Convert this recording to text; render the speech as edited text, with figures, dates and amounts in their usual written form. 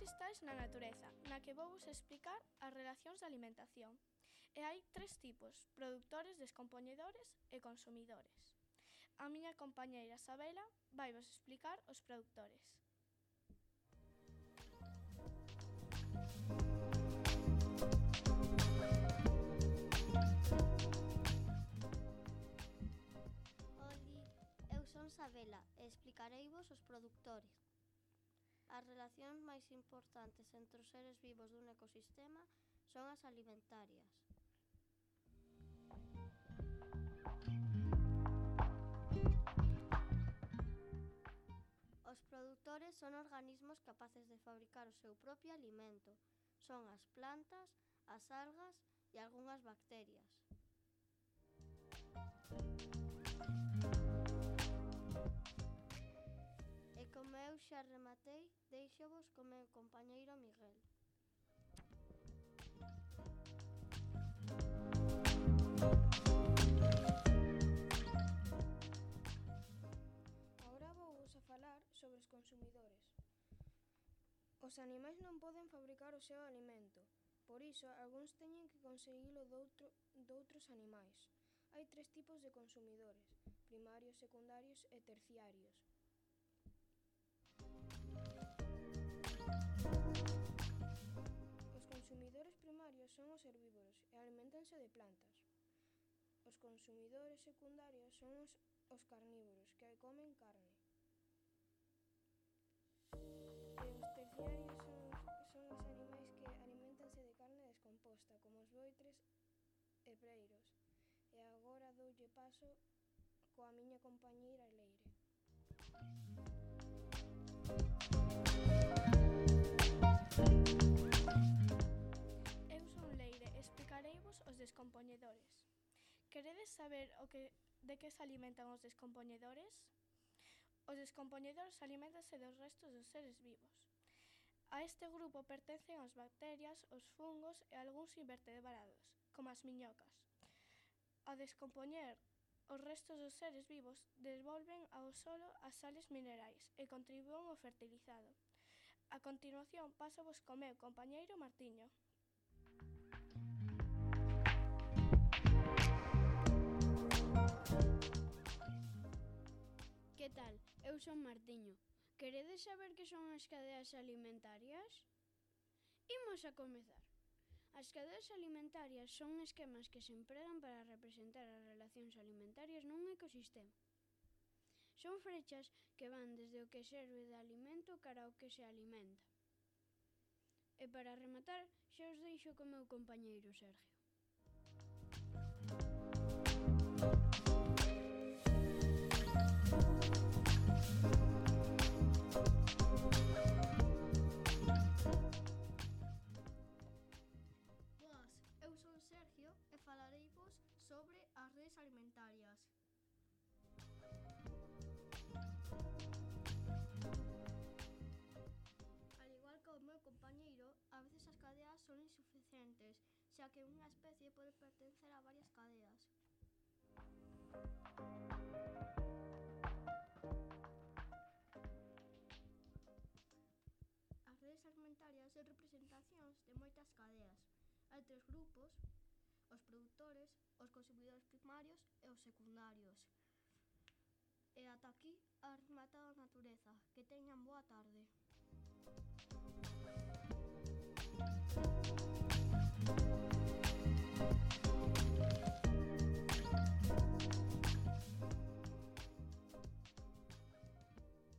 estáis na natureza, na que vou vos explicar as relacións de alimentación. E hai tres tipos: produtores, descompoñedores e consumidores. A miña compañeira Sabela vai vos explicar os produtores. Oli, eu son Sabela e explicareivos os produtores. As relacións máis importantes entre os seres vivos dun ecosistema son as alimentarias. Os produtores son organismos capaces de fabricar o seu propio alimento. Son as plantas, as algas e algunhas bacterias. E como eu xa rematei, deixovos co meu compañeiro Miguel. Agora vouvos a falar sobre os consumidores. Os animais non poden fabricar o seu alimento, por iso algúns teñen que conseguilo doutros animais. Hai tres tipos de consumidores: primarios, secundarios e terciarios. Os consumidores primarios son os herbívoros e aliméntanse de plantas. Os consumidores secundarios son os carnívoros, que comen carne. E os terciarios son os animais que aliméntanse de carne descomposta, como os voitres e preiros. E agora doulle paso coa miña compañeira Leire. Eu son Leire e explicareivos os descompoñedores. Queredes saber de que se alimentan os descompoñedores? Os descompoñedores aliméntanse dos restos dos seres vivos. A este grupo pertencen as bacterias, os fungos e algúns invertebrados, como as miñocas. Ao descompoñer os restos dos seres vivos, devolven ao solo as sales minerais e contribúen ao fertilizado. A continuación, pásovos co meu compañeiro Martiño. Que tal? Eu son Martiño. Queredes saber que son as cadeas alimentarias? Imos a comezar. As cadeas alimentarias son esquemas que se empregan para representar as relacións alimentarias nun ecosistema. Son frechas que van desde o que serve de alimento cara ao que se alimenta. E para rematar, xa os deixo co meu compañeiro Sergio. Boas, eu son Sergio e falareivos sobre as redes alimentarias. Al igual que o meu compañeiro, a veces as cadeas son insuficientes, xa que unha especie pode pertencer a varias cadeas. As redes alimentarias son representacións de moitas cadeas. Hai tres grupos: os produtores, os consumidores primarios e os secundarios. E ata aquí a rematada natureza. Que teñan boa tarde.